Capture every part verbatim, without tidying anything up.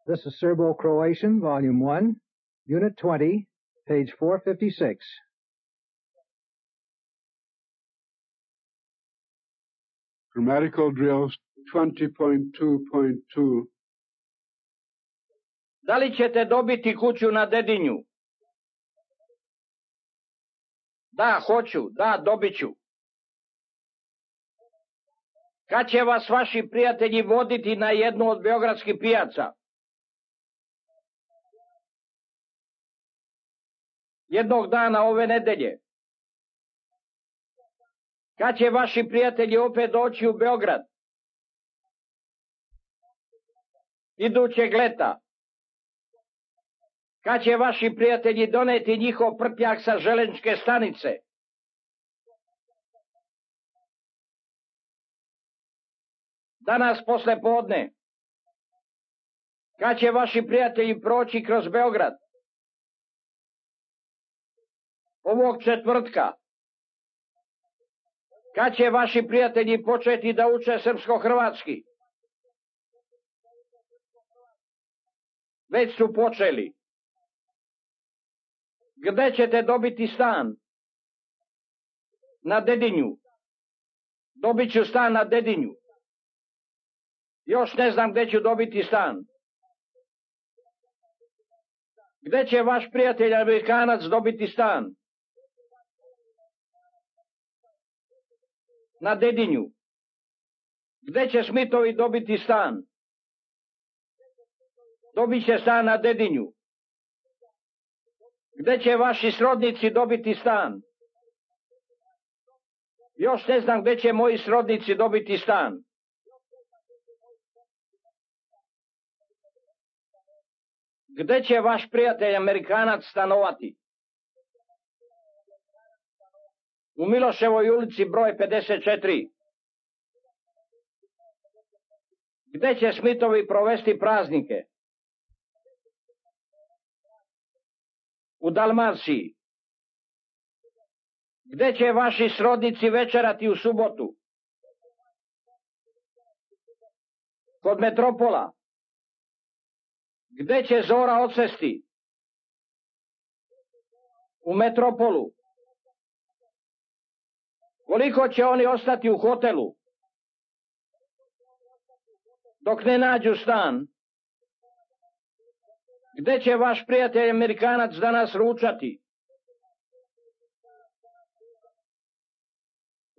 This is Serbo-Croatian, Volume one, Unit twenty, page four fifty-six. Grammatical drills twenty point two point two. Da li ćete dobiti kuću na Dedinju? Da, hoću, da, dobit ću. Kad će vas vaši prijatelji voditi na jednu od beogradskih pijaca? Jednog dana ove nedelje. Kad će vaši prijatelji opet doći u Beograd? Idućeg leta. Kad će vaši prijatelji doneti njihov prtljak sa železničke stanice? Danas posle podne. Kad će vaši prijatelji proći kroz Beograd? Ovog četvrtka. Kad će vaši prijatelji početi da uče srpsko-hrvatski? Već su počeli. Gde ćete dobiti stan? Na Dedinju. Dobit ću stan na Dedinju. Još ne znam gde ću dobiti stan. Gde će vaš prijatelj Amerikanac dobiti stan? Na Dedinju. Gde će Smitovi dobiti stan? Dobit će stan na Dedinju. Gde će vaši srodnici dobiti stan? Još ne znam gde će moji srodnici dobiti stan. Gde će vaš prijatelj Amerikanac stanovati? U Miloševoj ulici broj pedeset četiri. Gde će Smitovi provesti praznike? U Dalmaciji. Gde će vaši srodnici večerati u subotu? Kod Metropola. Gde će Zora odsesti? U Metropolu. Koliko će oni ostati u hotelu? Dok ne nađu stan. Gde će vaš prijatelj Amerikanac danas ručati?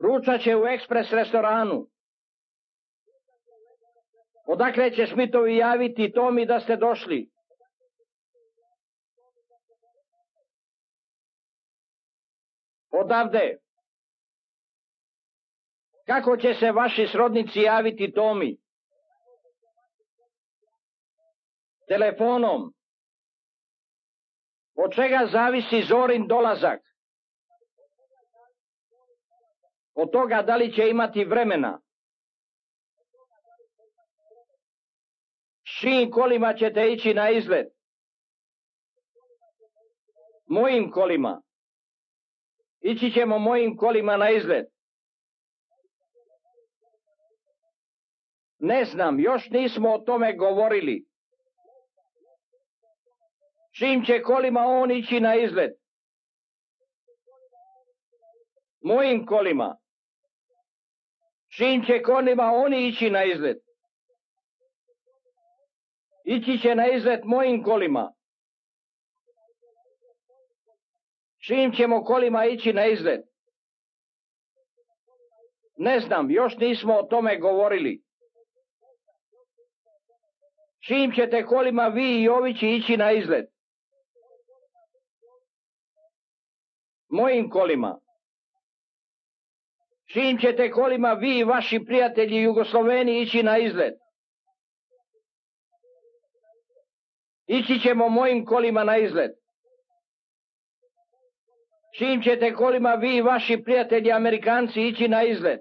Ručat će u ekspres restoranu. Odakle će Smitovi javiti Tomi da ste došli? Odavde. Kako će se vaši srodnici javiti Tomi? Telefonom. Od čega zavisi Zorin dolazak? Od toga da li će imati vremena. S čijim kolima ćete ići na izlet? Mojim kolima. Ići ćemo mojim kolima na izlet. Ne znam, još nismo o tome govorili. Čim će kolima on ići na izlet? Mojim kolima. Čim će kolima oni ići na izlet? Ići će na izlet mojim kolima. Čim ćemo kolima ići na izlet? Ne znam, još nismo o tome govorili. Čim ćete kolima vi i ovići ići na izlet? Mojim kolima. Čim ćete kolima vi i vaši prijatelji Jugosloveni ići na izlet? Ići ćemo mojim kolima na izlet. Čim ćete kolima vi i vaši prijatelji Amerikanci ići na izlet?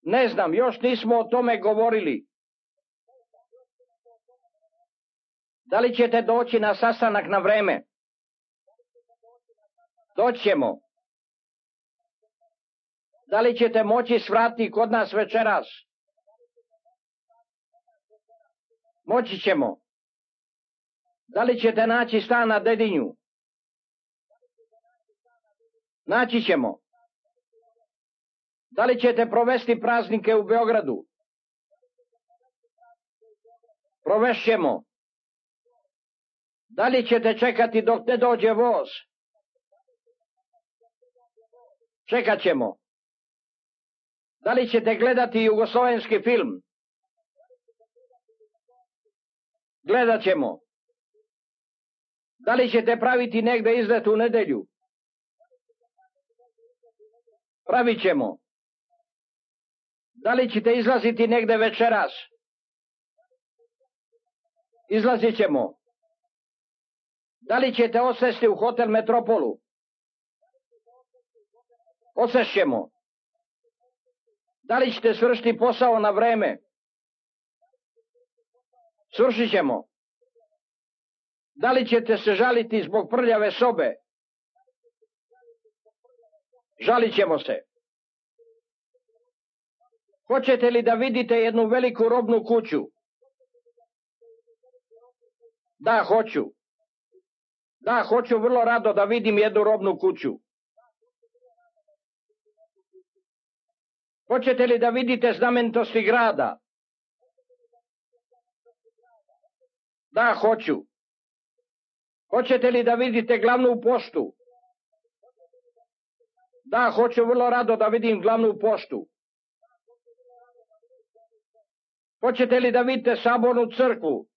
Ne znam, još nismo o tome govorili. Da li ćete doći na sastanak na vreme? Doćemo. Da li ćete moći svrati kod nas večeras? Moći ćemo. Da li ćete naći stan na Dedinju? Naći ćemo. Da li ćete provesti praznike u Beogradu? Provešćemo. Da li ćete čekati dok ne dođe voz? Čekat ćemo. Da li ćete gledati jugoslovenski film? Gledat ćemo. Da li ćete praviti negde izlet u nedelju? Pravit ćemo. Da li ćete izlaziti negde večeras? Izlazit ćemo. Da li ćete odsesti u hotel Metropolu? Odsešćemo. Da li ćete svršiti posao na vreme? Svršit ćemo. Da li ćete se žaliti zbog prljave sobe? Žalit ćemo se. Hoćete li da vidite jednu veliku robnu kuću? Da, hoću. Da, hoću vrlo rado da vidim jednu robnu kuću. Hoćete li da vidite znamenitosti grada? Da, hoću. Hoćete li da vidite glavnu poštu? Da, hoću vrlo rado da vidim glavnu poštu. Hoćete li da vidite sabornu crkvu?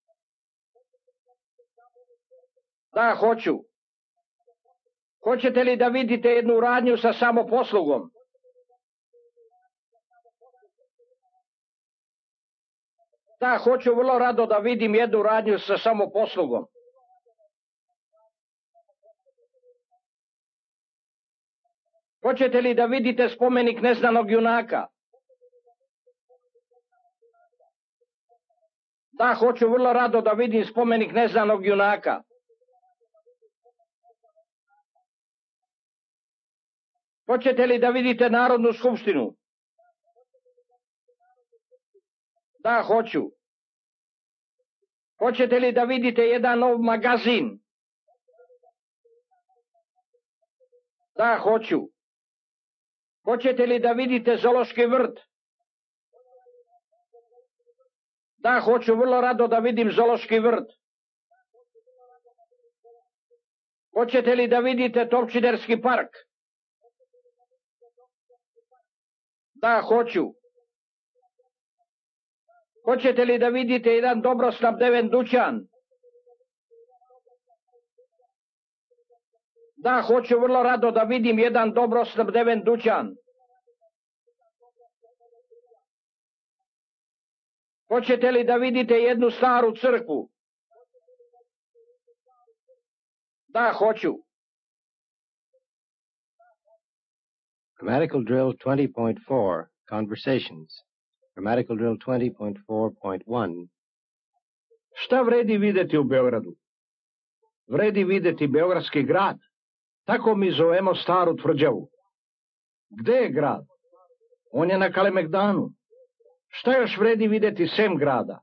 Da, hoću. Hoćete li da vidite jednu radnju sa samoposlugom? Da, hoću vrlo rado da vidim jednu radnju sa samoposlugom. Hoćete li da vidite spomenik neznanog junaka? Da, hoću vrlo rado da vidim spomenik neznanog junaka. Hoćete li da vidite Narodnu skupštinu? Da, hoću. Hoćete li da vidite jedan nov magazin? Da, hoću. Hoćete li da vidite zoološki vrt? Da, hoću vrlo rado da vidim zoološki vrt. Hoćete li da vidite Topčiderski park? Da, hoću. Hoćete li da vidite jedan dobro snabdeven dućan? Da, hoću vrlo rado da vidim jedan dobro snabdeven dućan. Hoćete li da vidite jednu staru crkvu? Da, hoću. Grammatical drill twenty point four, Conversations. Grammatical drill twenty point four point one. Šta vredi videti u Beogradu? Vredi videti Beogradski grad. Tako mi zovemo staru tvrđavu. Gde je grad? On je na Kalemegdanu. Šta još vredi videti sem grada?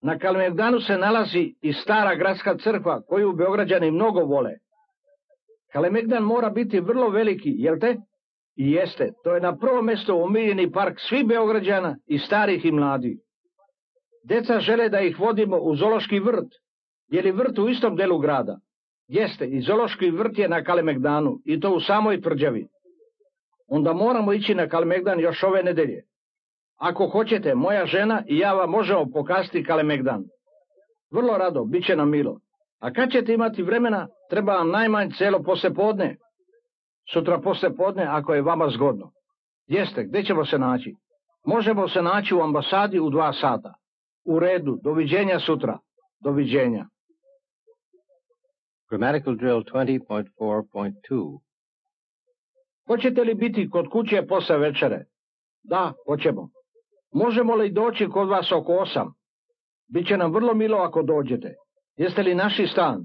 Na Kalemegdanu se nalazi i stara gradska crkva koju Beograđani mnogo vole. Kalemegdan mora biti vrlo veliki, jel te? I jeste, to je na prvo mesto omiljeni park svih Beograđana, i starih i mladih. Deca žele da ih vodimo u zoološki vrt. Je li vrt u istom delu grada? Jeste, i zoološki vrt je na Kalemegdanu, i to u samoj tvrđavi. Onda moramo ići na Kalemegdan još ove nedelje. Ako hoćete, moja žena i ja vam možemo pokazati Kalemegdan. Vrlo rado, bit će nam milo. A kad ćete imati vremena, treba vam najmanje celo poslepodne. Sutra poslepodne, ako je vama zgodno. Jeste, gde ćemo se naći? Možemo se naći u ambasadi u dva sata. U redu, doviđenja sutra. Doviđenja. Grammatical drill twenty point four point two. Hoćete li biti kod kuće posle večere? Da, hoćemo. Možemo li doći kod vas oko osam? Biće nam vrlo milo ako dođete. Jeste li naši stan?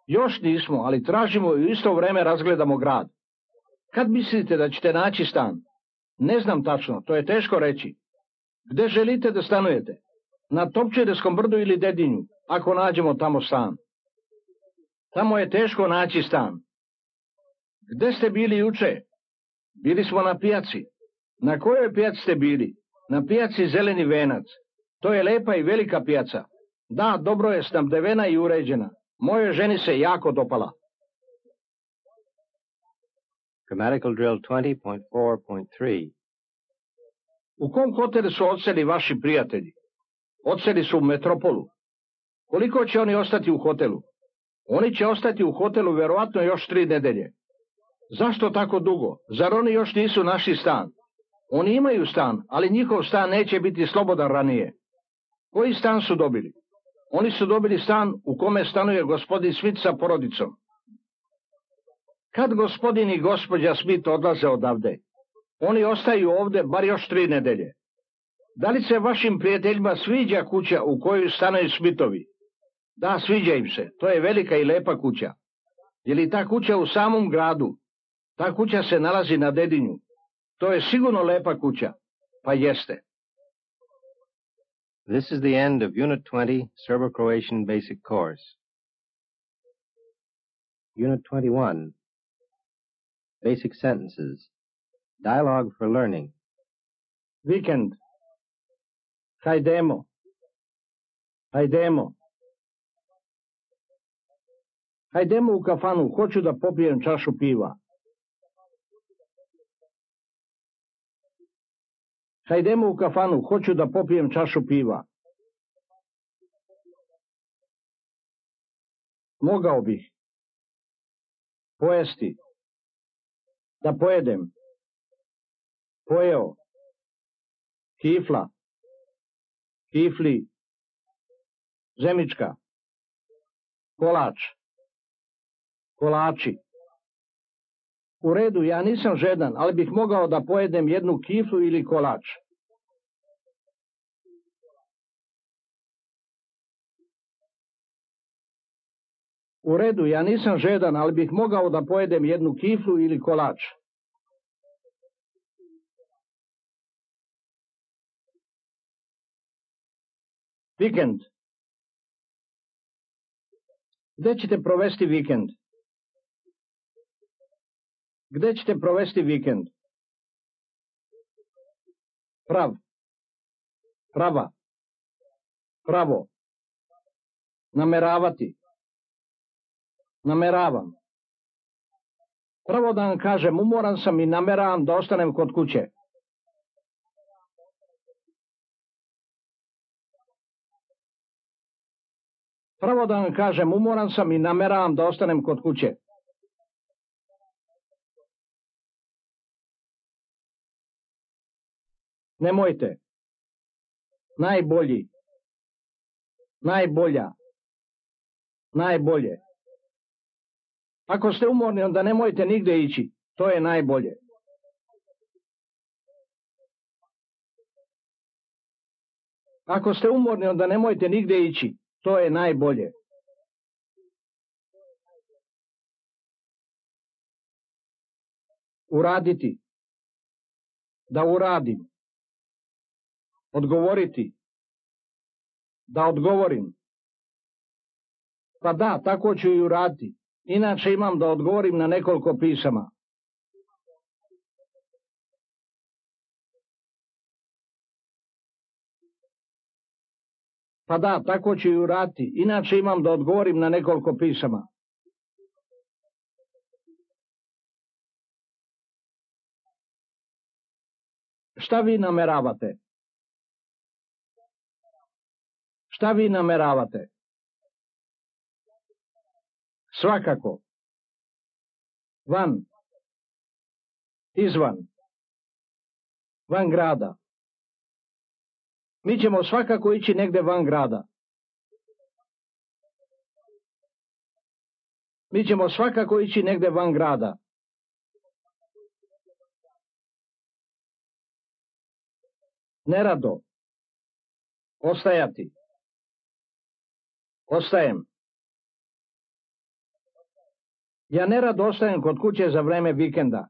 Još nismo, ali tražimo i u isto vreme razgledamo grad. Kad mislite da ćete naći stan? Ne znam tačno, to je teško reći. Gde želite da stanujete? Na Topčiderskom brdu ili Dedinju, ako nađemo tamo stan. Tamo je teško naći stan. Gde ste bili juče? Bili smo na pijaci. Na kojoj pijaci ste bili? Na pijaci Zeleni venac. To je lepa i velika pijaca. Da, dobro je snabdevena i uređena. Mojoj ženi se jako dopala. Grammatical drill twenty point four point three. U kom hotelu su odseli vaši prijatelji? Odseli su u Metropolu. Koliko će oni ostati u hotelu? Oni će ostati u hotelu verovatno još tri nedelje. Zašto tako dugo? Zar oni još nisu našli stan? Oni imaju stan, ali njihov stan neće biti slobodan ranije. Koji stan su dobili? Oni su dobili stan u kome stanuje gospodin Smith sa porodicom. Kad gospodin i gospođa Smith odlaze odavde? Oni ostaju ovde bar još tri nedelje. Da li se vašim prijateljima sviđa kuća u kojoj stanuju Smithovi? Da, sviđa im se. To je velika i lepa kuća. Je li ta kuća u samom gradu? Ta kuća se nalazi na Dedinju. To je sigurno lepa kuća. Pa jeste. This is the end of Unit twenty, Serbo-Croatian Basic Course. Unit twenty-one, Basic Sentences. Dialogue for Learning. Vikend. Hajdemo. Hajdemo. Hajdemo u kafanu, hoću da popijem čašu piva. Hajdemo u kafanu, hoću da popijem čašu piva. Mogao bih. Pojesti. Da pojedem. Pojeo. Kifla. Kifli. Zemička. Kolač. Kolači. U redu, ja nisam žedan, ali bih mogao da pojedem jednu kiflu ili kolač. U redu, ja nisam žedan, ali bih mogao da pojedem jednu kiflu ili kolač. Vikend. Gde ćete provesti vikend? Gde ćete provesti vikend? Prav. Prava. Pravo. Nameravati. Nameravam. Pravo da vam kažem, umoran sam i nameravam da ostanem kod kuće. Pravo da vam kažem, umoran sam i nameravam da ostanem kod kuće. Nemojte. Najbolji. Najbolja. Najbolje. Ako ste umorni, onda nemojte nigde ići. To je najbolje. Ako ste umorni, onda nemojte nigde ići. To je najbolje. Uraditi. Da uradim. Odgovoriti. Da odgovorim. Pa da, tako ću i uraditi. Inače imam da odgovorim na nekoliko pisama. Pa da, tako ću i uraditi. Inače imam da odgovorim na nekoliko pisama. Šta vi nameravate? Šta vi nameravate? Svakako. Van. Izvan. Van grada. Mi ćemo svakako ići negde van grada. Mi ćemo svakako ići negde van grada. Nerado. Ostajati. Ostajem. Ja nerado ostajem kod kuće za vreme vikenda.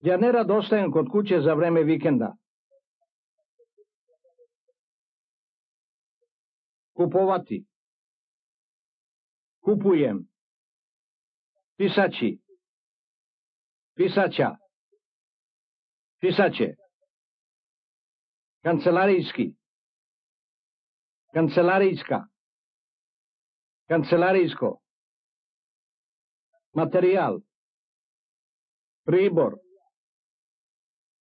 Ja nerad ostajem kod kuće za vreme vikenda. Kupovati. Kupujem. Pisaći. Pisaća. Pisaće. Kancelarijski. Kancelarijska. Kancelarijsko. Materijal. Pribor.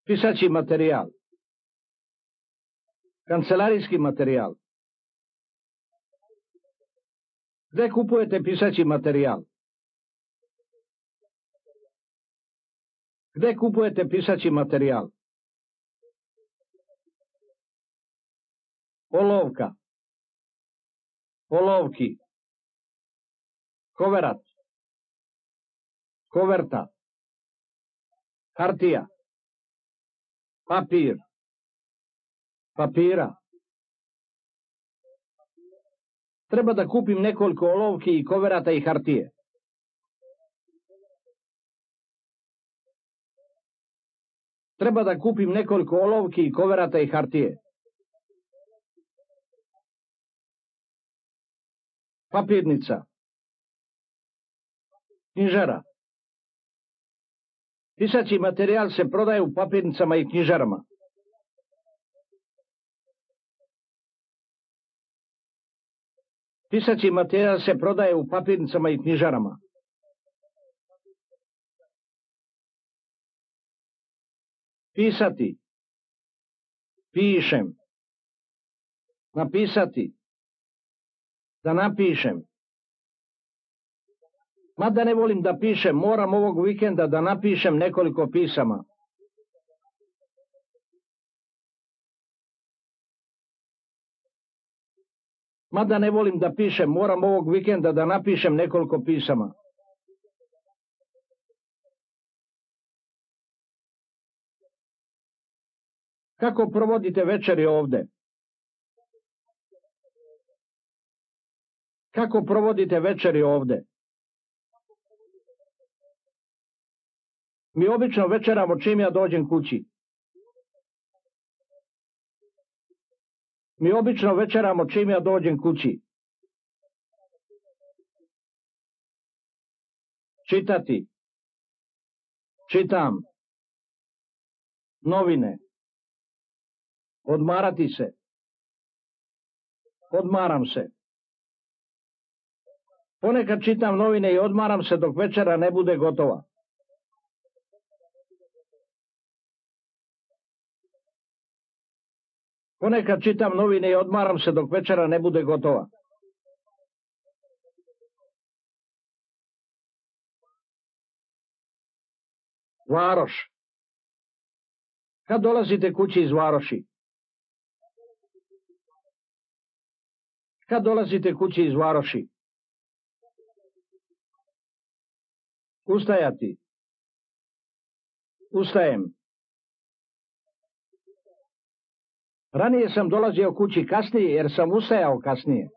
Pisaći materijal. Kancelarijski materijal. Gde kupujete pisaći materijal? Gde kupujete pisaći materijal? Olovka. Olovki. Koverat. Koverta. Hartija. Papir. Papira. Treba da kupim nekoliko olovki i koverata i hartije. Treba da kupim nekoliko olovki i koverata i hartije. Papirnica. Knjižara. Pisaći materijal se prodaje u papirnicama i knjižarama. Pisaći materijal se prodaje u papirnicama i knjižarama. Pisati. Pišem. Napisati. Da napišem. Mada ne volim da pišem, moram ovog vikenda da napišem nekoliko pisama. Mada ne volim da pišem, moram ovog vikenda da napišem nekoliko pisama. Kako provodite večeri ovde? Kako provodite večeri ovde? Mi obično večeramo čim ja dođem kući. Mi obično večeramo čim ja dođem kući. Čitati. Čitam. Novine. Odmarati se. Odmaram se. Ponekad čitam novine i odmaram se dok večera ne bude gotova. Ponekad čitam novine i odmaram se dok večera ne bude gotova. Varoš. Kad dolazite kući iz Varoši? Kad dolazite kući iz Varoši? Ustajati. Ustajem. Ranije sam dolazio kući kasnije jer sam ustajao kasnije.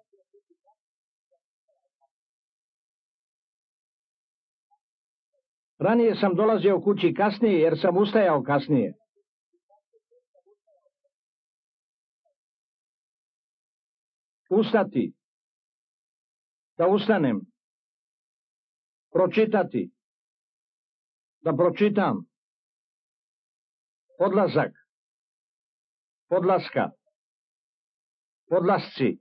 Ranije sam dolazio kući kasnije jer sam ustajao kasnije. Ustati. Da ustanem. Pročitati. Da pročitam. Odlazak. Podlaska. Podlasci.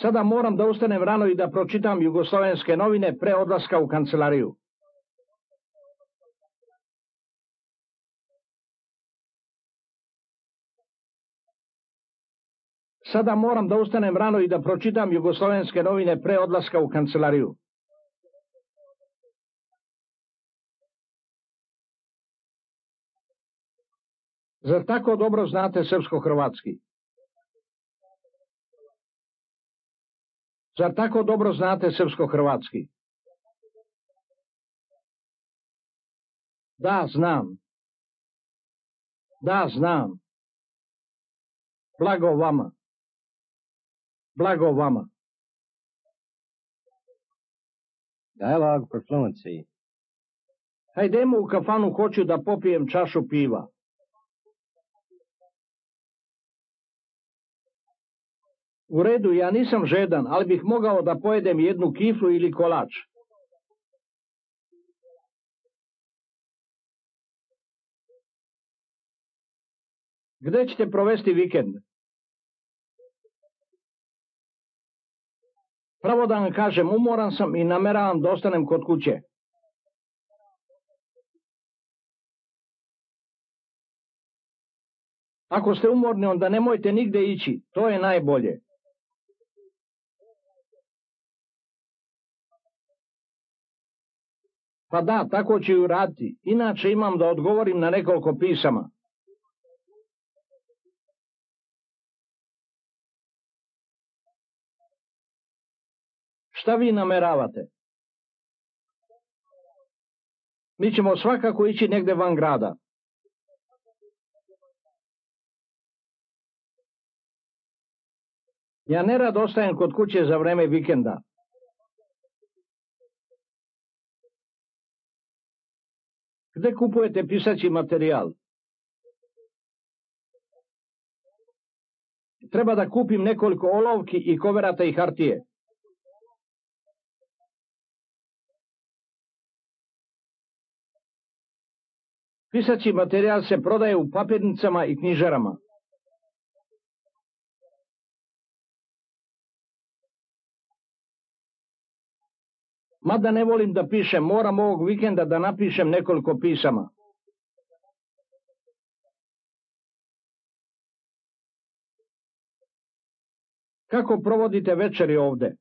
Sada moram da ustanem rano i da pročitam jugoslovenske novine pre odlaska u kancelariju. Sada moram da ustanem rano i da pročitam jugoslovenske novine pre odlaska u kancelariju. Zar tako dobro znate srpsko-hrvatski? Zar tako dobro znate srpsko-hrvatski? Da, znam. Da, znam. Blago vama. Blago vama. Dialogue for fluency. Hajdemo u kafanu, hoću da popijem čašu piva. U redu, ja nisam žedan, ali bih mogao da pojedem jednu kiflu ili kolač. Gde ćete provesti vikend? Pravo da vam kažem, umoran sam i nameravam da ostanem kod kuće. Ako ste umorni, onda nemojte nigde ići, to je najbolje. Pa da, tako ću i uraditi, inače imam da odgovorim na nekoliko pisama. Šta vi nameravate? Mi ćemo svakako ići negde van grada. Ja nerad ostajem kod kuće za vreme vikenda. Gde kupujete pisaći materijal? Treba da kupim nekoliko olovki i koverata i hartije. Pisaći materijal se prodaje u papirnicama i knjižarama. Mada ne volim da pišem, moram ovog vikenda da napišem nekoliko pisama. Kako provodite večeri ovde?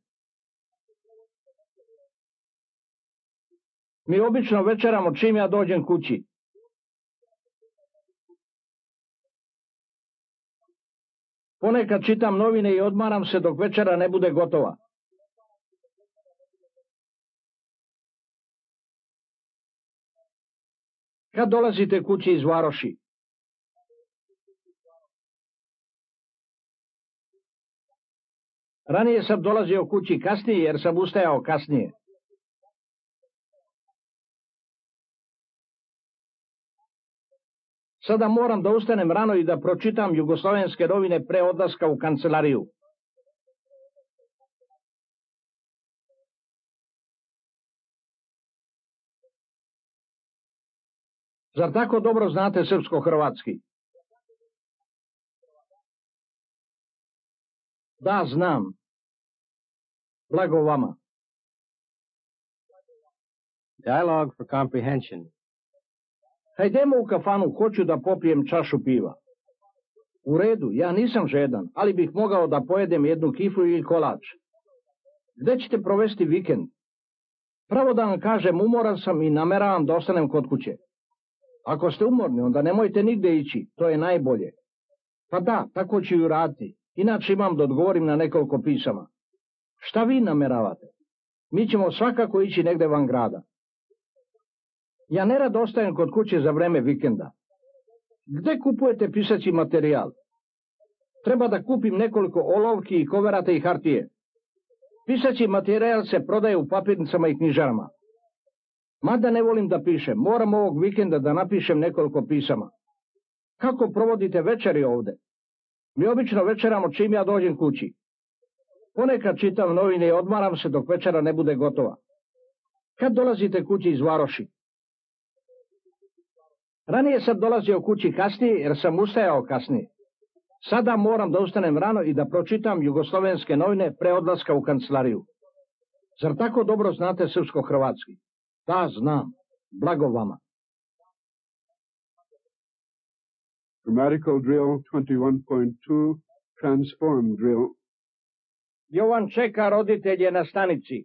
Mi obično večeramo čim ja dođem kući. Ponekad čitam novine i odmaram se dok večera ne bude gotova. Kad dolazite kući iz Varoši? Ranije sam dolazio kući kasnije jer sam ustajao kasnije. Sada moram da ustanem rano i da pročitam jugoslovenske novine pre odlaska u kancelariju. Zar tako dobro znate srpsko-hrvatski? Da, znam. Blago vama. Dialogue for comprehension. Hajdemo u kafanu, hoću da popijem čašu piva. U redu, ja nisam žedan, ali bih mogao da pojedem jednu kiflu ili kolač. Gde ćete provesti vikend? Pravo da vam kažem, umoran sam i nameravam da ostanem kod kuće. Ako ste umorni, onda nemojte nigde ići, to je najbolje. Pa da, tako ću i uraditi, inače imam da odgovorim na nekoliko pisama. Šta vi nameravate? Mi ćemo svakako ići negde van grada. Ja nerad ostajem kod kuće za vreme vikenda. Gde kupujete pisaći materijal? Treba da kupim nekoliko olovki i koverata i hartije. Pisaći materijal se prodaje u papirnicama i knjižarama. Mada ne volim da pišem, moram ovog vikenda da napišem nekoliko pisama. Kako provodite večeri ovde? Mi obično večeramo čim ja dođem kući. Ponekad čitam novine i odmaram se dok večera ne bude gotova. Kad dolazite kući iz Varoši? Ranije sam dolazio kući kasnije jer sam ustajao kasnije. Sada moram da ustanem rano i da pročitam jugoslovenske novine pre odlaska u kancelariju. Zar tako dobro znate srpsko-hrvatski? Da, znam. Blago vama. Grammatical drill twenty-one point two, transform drill. Jovan čeka roditelje na stanici.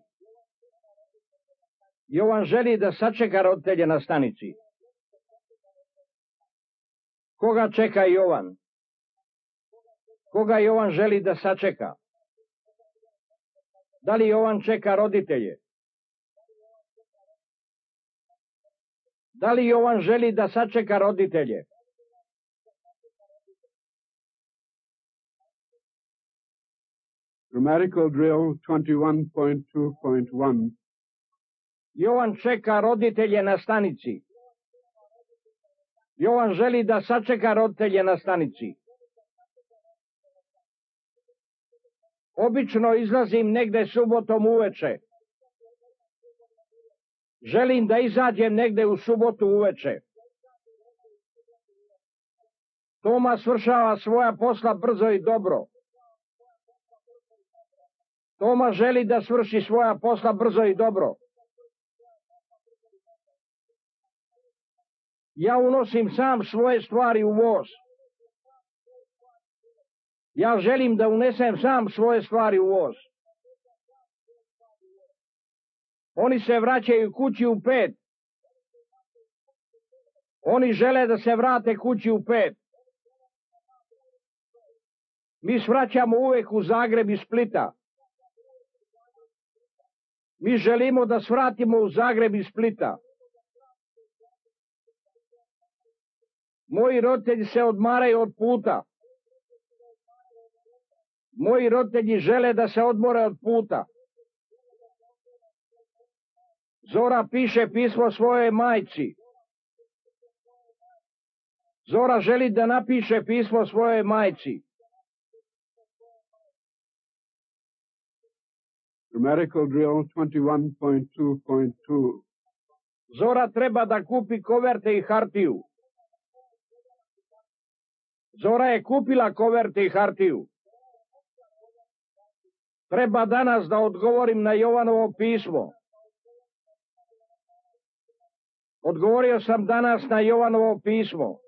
Jovan želi da sačeka roditelje na stanici. Koga čeka Jovan? Koga Jovan želi da sačeka? Da li Jovan čeka roditelje? Da li Jovan želi da sačeka roditelje? Grammatical drill twenty-one point two point one. Jovan čeka roditelje na stanici. Jovan želi da sačeka roditelje na stanici. Obično izlazim negde subotom uveče. Želim da izađem negde u subotu uveče. Toma svršava svoja posla brzo i dobro. Toma želi da svrši svoja posla brzo i dobro. Ja unosim sam svoje stvari u voz. Ja želim da unesem sam svoje stvari u voz. Oni se vraćaju kući u pet. Oni žele da se vrate kući u pet. Mi svraćamo uvek u Zagreb iz Splita. Mi želimo da svratimo u Zagreb iz Splita. Moji roditelji se odmaraju od puta. Moji roditelji žele da se odmore od puta. Zora piše pismo svojoj majci. Zora želi da napiše pismo svojoj majci. Grammatical drill twenty-one point two point two. Zora treba da kupi koverte i hartiju. Zora je kupila koverte i hartiju. Treba danas da odgovorim na Jovanovo pismo. Odgovorio sam danas na Jovanovo pismo.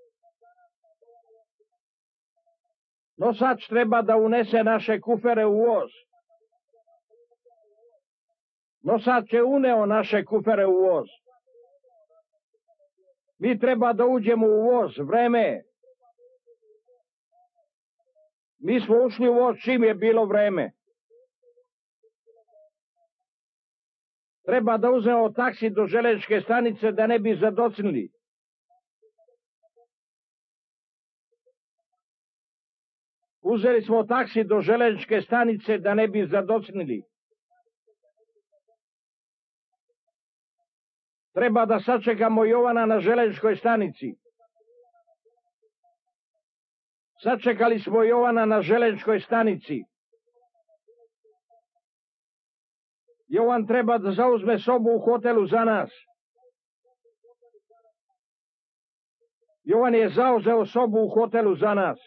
Nosač treba da unese naše kufere u voz. Nosač je uneo naše kufere u voz. Mi treba da uđemo u voz, vreme je. Mi smo ušli u voz čim je bilo vreme. Treba da uzmemo taksi do železničke stanice da ne bi zadocnili. Uzeli smo taksi do železničke stanice da ne bi zadocnili. Treba da sačekamo Jovana na železničkoj stanici. Sačekali smo Jovana na železničkoj stanici. Jovan treba da zauzme sobu u hotelu za nas. Jovan je zauzeo sobu u hotelu za nas.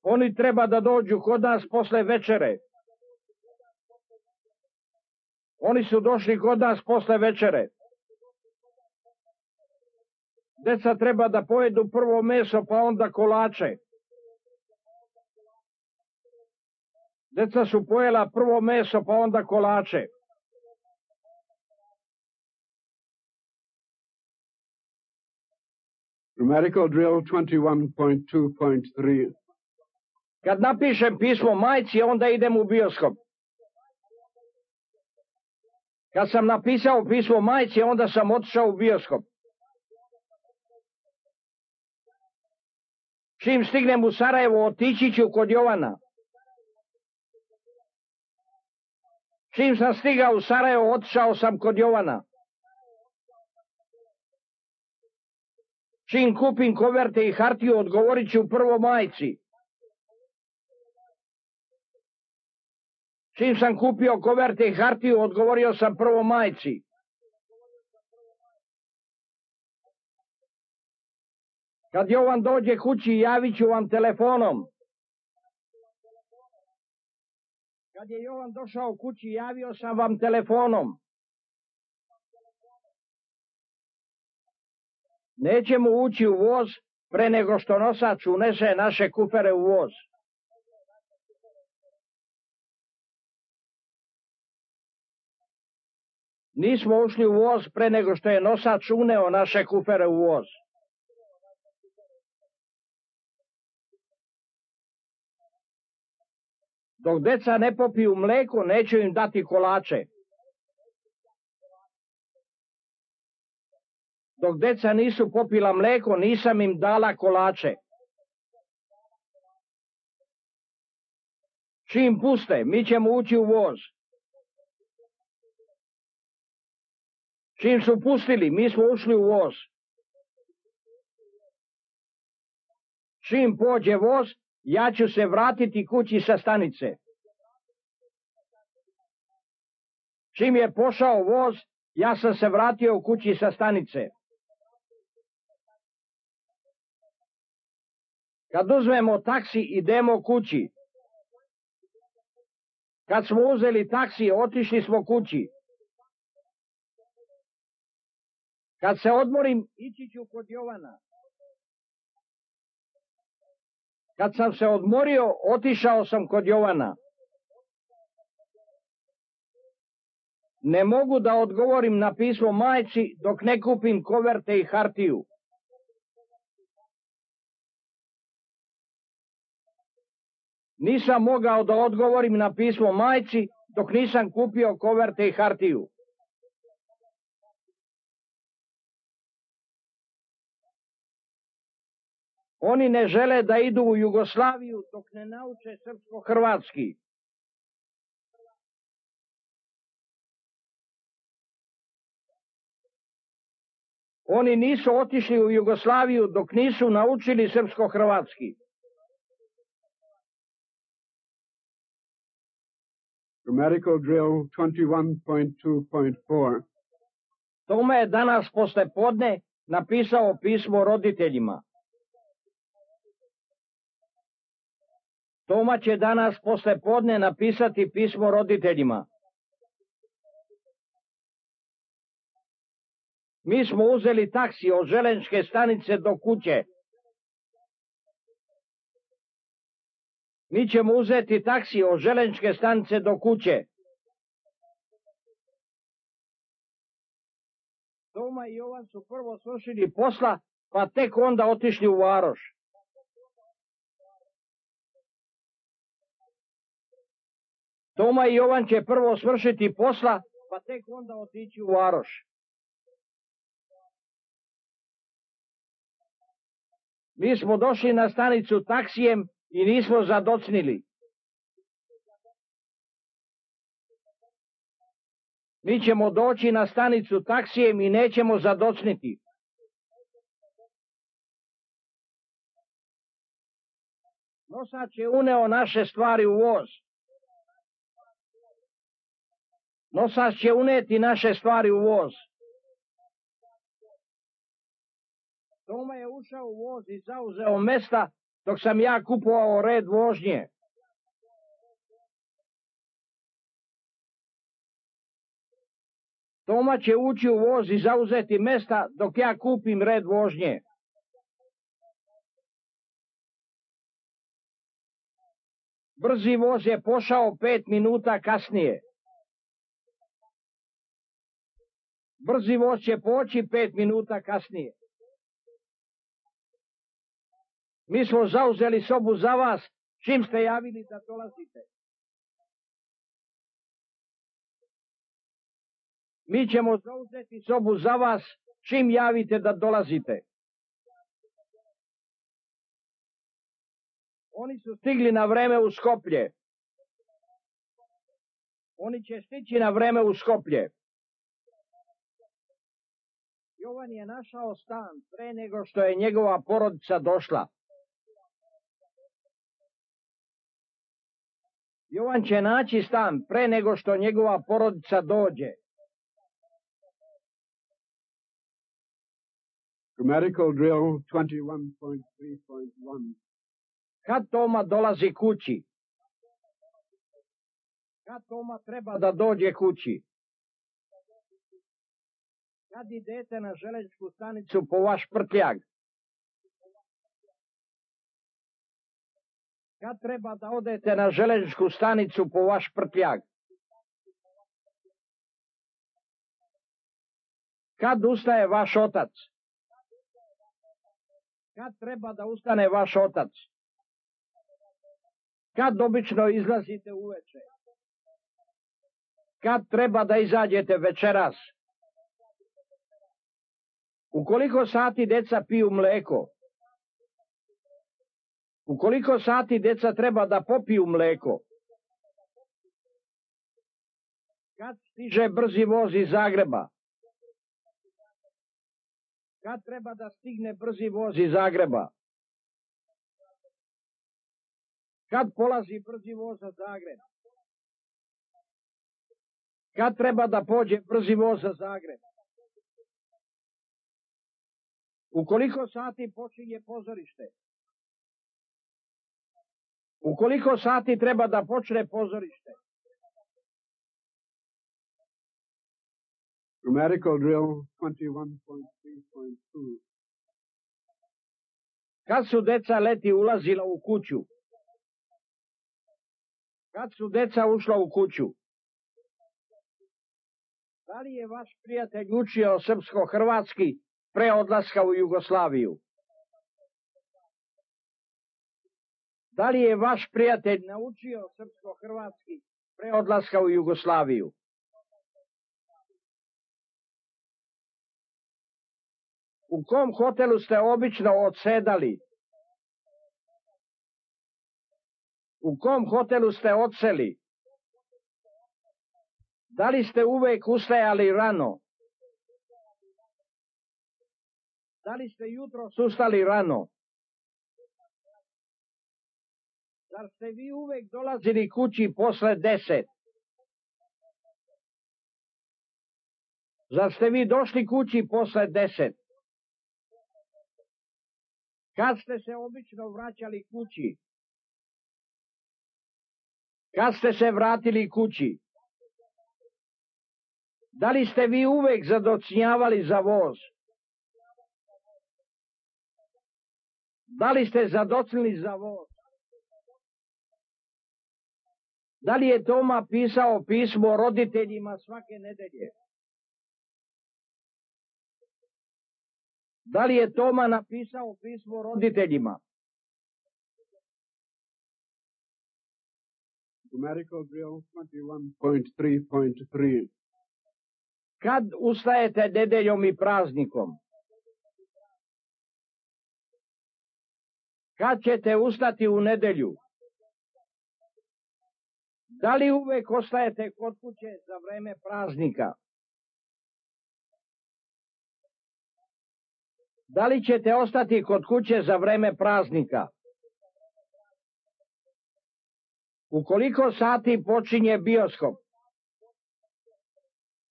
Oni treba da dođu kod nas posle večere. Oni su došli kod nas posle večere. Deca treba da pojedu prvo meso pa onda kolače. Deca su pojela prvo meso pa onda kolače. Grammatical drill twenty-one point two point three. Kad napišem pismo majci, onda idem u bioskop. Kad sam napisao pismo majci, onda sam otišao u bioskop. Čim stignem u Sarajevo, otići ću kod Jovana. Čim sam stigao u Sarajevo, otišao sam kod Jovana. Čim kupim koverte i hartiju, odgovorit ću prvo majci. Čim sam kupio koverte i hartiju, odgovorio sam prvo majci. Kad Jovan dođe kući, javit ću vam telefonom. Kad je Jovan došao kući, javio sam vam telefonom. Nećemo ući u voz pre nego što nosač unese naše kufere u voz. Nismo ušli u voz pre nego što je nosač uneo naše kufere u voz. Dok deca ne popiju mleko, neću im dati kolače. Dok deca nisu popila mleko, nisam im dala kolače. Čim puste, mi ćemo ući u voz. Čim su pustili, mi smo ušli u voz. Čim pođe voz, ja ću se vratiti kući sa stanice. Čim je pošao voz, ja sam se vratio u kući sa stanice. Kad uzmemo taksi, idemo kući. Kad smo uzeli taksi, otišli smo kući. Kad se odmorim, ići ću kod Jovana. Kad sam se odmorio, otišao sam kod Jovana. Ne mogu da odgovorim na pismo majci dok ne kupim koverte i hartiju. Nisam mogao da odgovorim na pismo majci dok nisam kupio koverte i hartiju. Oni ne žele da idu u Jugoslaviju dok ne nauče srpsko-hrvatski. Oni nisu otišli u Jugoslaviju dok nisu naučili srpsko-hrvatski. Grammatical drill twenty-one point two point four. Toma je danas posle podne napisao pismo roditeljima. Toma će danas posle podne napisati pismo roditeljima. Mi smo uzeli taksi od železničke stanice do kuće. Mi ćemo uzeti taksi od železničke stanice do kuće. Toma i Jovan su prvo svršili posla, pa tek onda otišli u varoš. Toma i Jovan će prvo svršiti posla, pa tek onda otići u varoš. Mi smo došli na stanicu taksijem i nismo zadocnili. Mi ćemo doći na stanicu taksijem i nećemo zadocniti. Nosač je uneo naše stvari u voz. Nosač će uneti naše stvari u voz. Toma je ušao u voz i zauzeo mesta dok sam ja kupovao red vožnje. Toma će ući u voz i zauzeti mesta dok ja kupim red vožnje. Brzi voz je pošao pet minuta kasnije. Brzi voz će poći pet minuta kasnije. Mi smo zauzeli sobu za vas, čim ste javili da dolazite. Mi ćemo zauzeti sobu za vas, čim javite da dolazite. Oni su stigli na vreme u Skoplje. Oni će stići na vreme u Skoplje. Jovan je našao stan pre nego što je njegova porodica došla. Jovan će naći stan pre nego što njegova porodica dođe. Grammatical drill twenty-one point three point one. Kad Toma dolazi kući? Kad Toma treba da dođe kući? Kad idete na železničku stanicu po vaš prtljag? Kad treba da odete na železničku stanicu po vaš prtljag? Kad ustaje vaš otac? Kad treba da ustane vaš otac? Kad obično izlazite uveče? Kad treba da izađete večeras? U koliko sati deca piju mleko? U koliko sati deca treba da popiju mleko? Kad stiže brzi voz iz Zagreba? Kad treba da stigne brzi voz iz Zagreba? Kad polazi brzi voz za Zagreb? Kad treba da pođe brzi voz za Zagreb? U koliko sati počinje pozorište? U koliko sati treba da počne pozorište? Grammatical drill twenty-one point three point two. Kad su deca leti ulazila u kuću? Kad su deca ušla u kuću? Da li je vaš prijatelj učio srpsko-hrvatski pre odlaska u Jugoslaviju? Da li je vaš prijatelj naučio srpsko-hrvatski pre odlaska u Jugoslaviju? U kom hotelu ste obično odsedali? U kom hotelu ste odseli? Da li ste uvek ustajali rano? Da li ste jutros ustali rano? Zar ste vi uvek dolazili kući posle deset? Zar ste vi došli kući posle deset? Kad ste se obično vraćali kući? Kad ste se vratili kući? Da li ste vi uvek zadocnjavali za voz? Da li ste zadocnili za voz? Da li je Toma pisao pismo roditeljima svake nedelje? Da li je Toma napisao pismo roditeljima? Grammatical drill twenty-one point three point three. Kad ustajete nedeljom i praznikom? Kad ćete ustati u nedelju? Da li uvek ostajete kod kuće za vreme praznika? Da li ćete ostati kod kuće za vreme praznika? U koliko sati počinje bioskop?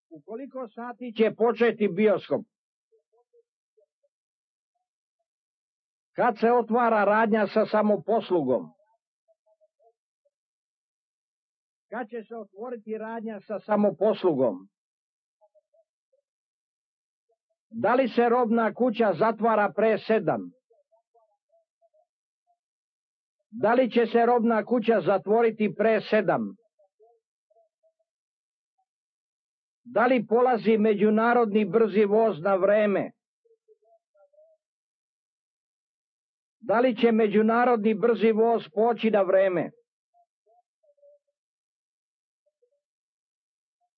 U koliko sati će početi bioskop? Kad se otvara radnja sa samoposlugom? Kad će se otvoriti radnja sa samoposlugom? Da li se robna kuća zatvara pre sedam? Da li će se robna kuća zatvoriti pre sedam? Da li polazi međunarodni brzi voz na vreme? Da li će međunarodni brzi voz poći na vreme?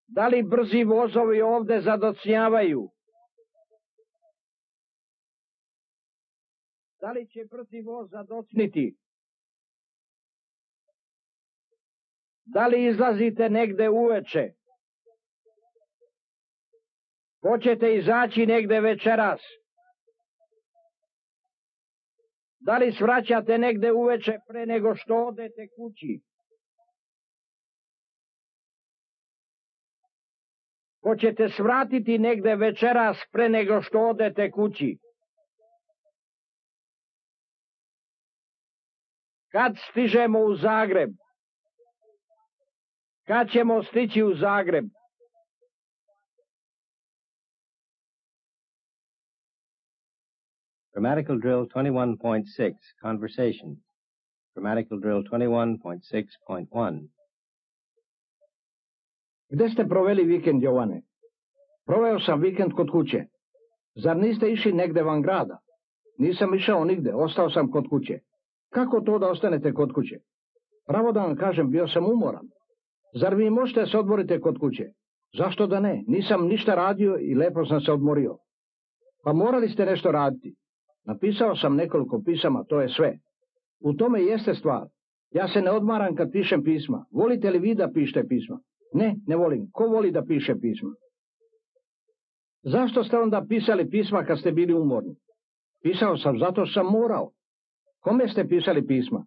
Da li brzi vozovi ovde zadocnjavaju? Da li će brzi voz zadocniti? Da li izlazite negde uveče? Hoćete izaći negde večeras? Da li svraćate negde uveče pre nego što odete kući? Hoćete svratiti negde večeras pre nego što odete kući? Kad stižemo u Zagreb? Kad ćemo stići u Zagreb? Grammatical drill twenty-one point six, conversations. Grammatical drill twenty-one point six point one. Gde ste proveli vikend, Jovane? Proveo sam vikend kod kuće. Zar niste išli negde van grada? Nisam išao nigde, ostao sam kod kuće. Kako to da ostanete kod kuće? Pravo da vam kažem, bio sam umoran. Zar vi možete se odmoriti kod kuće? Zašto da ne? Nisam ništa radio i lepo sam se odmorio. Pa morali ste nešto raditi. Napisao sam nekoliko pisama, to je sve. U tome jeste stvar. Ja se ne odmaram kad pišem pisma. Volite li vi da pišete pisma? Ne, ne volim. Ko voli da piše pisma? Zašto ste onda pisali pisma kad ste bili umorni? Pisao sam zato što sam morao. Kome ste pisali pisma?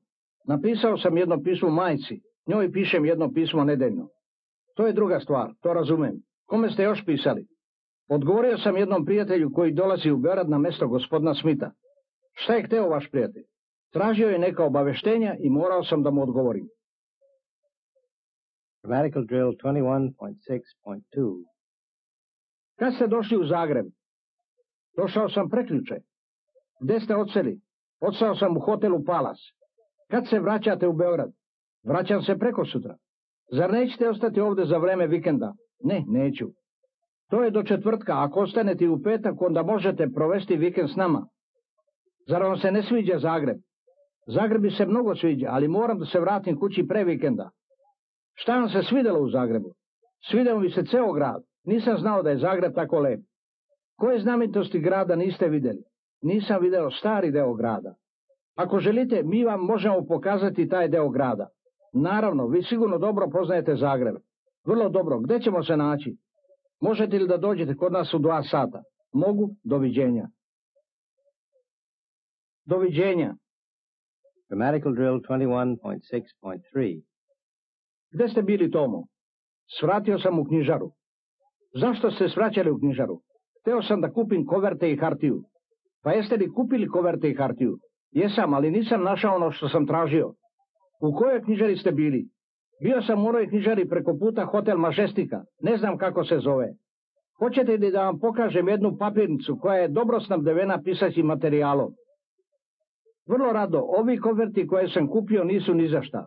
Napisao sam jedno pismo majci, njoj pišem jedno pismo nedeljno. To je druga stvar, to razumem. Kome ste još pisali? Odgovorio sam jednom prijatelju koji dolazi u Beograd na mesto gospodina Smita. Šta je hteo vaš prijatelj? Tražio je neka obaveštenja i morao sam da mu odgovorim. Grammatical drill twenty-one point six point two. Kad ste došli u Zagreb? Došao sam prekjuče. Gde ste odseli? Odsao sam u hotelu Palas. Kad se vraćate u Beograd? Vraćam se preko sutra. Zar nećete ostati ovde za vreme vikenda? Ne, neću. To je do četvrtka, ako ostanete u petak, onda možete provesti vikend s nama. Zar vam se ne sviđa Zagreb? Zagreb bi se mnogo sviđa, ali moram da se vratim kući pre vikenda. Šta vam se svidelo u Zagrebu? Svideo mi se ceo grad. Nisam znao da je Zagreb tako lep. Koje znamenitosti grada niste videli? Nisam video stari deo grada. Ako želite, mi vam možemo pokazati taj deo grada. Naravno, vi sigurno dobro poznajete Zagreb. Vrlo dobro. Gde ćemo se naći? Možete li da dođete kod nas u dva sata? Mogu. Doviđenja. Doviđenja. Grammatical drill twenty-one point six point three. Gde ste bili, Tomo? Svratio sam u knjižaru. Zašto ste svraćali u knjižaru? Hteo sam da kupim koverte i hartiju. Pa jeste li kupili koverte i hartiju? Jesam, ali nisam našao ono što sam tražio. U kojoj knjižari ste bili? Bio sam u onoj knjižari preko puta Hotel Majestika. Ne znam kako se zove. Hoćete li da vam pokažem jednu papirnicu koja je dobro snabdevena pisaćim materijalom? Vrlo rado, ovi koverti koje sam kupio nisu ni za šta.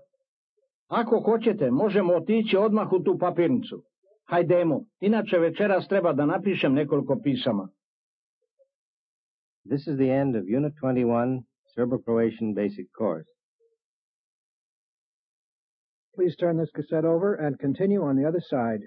Ako hoćete, možemo otići odmah u tu papirnicu. Hajdemo, inače večeras treba da napišem nekoliko pisama. This is the end of Unit twenty-one, Serbo-Croatian Basic Course. Please turn this cassette over and continue on the other side.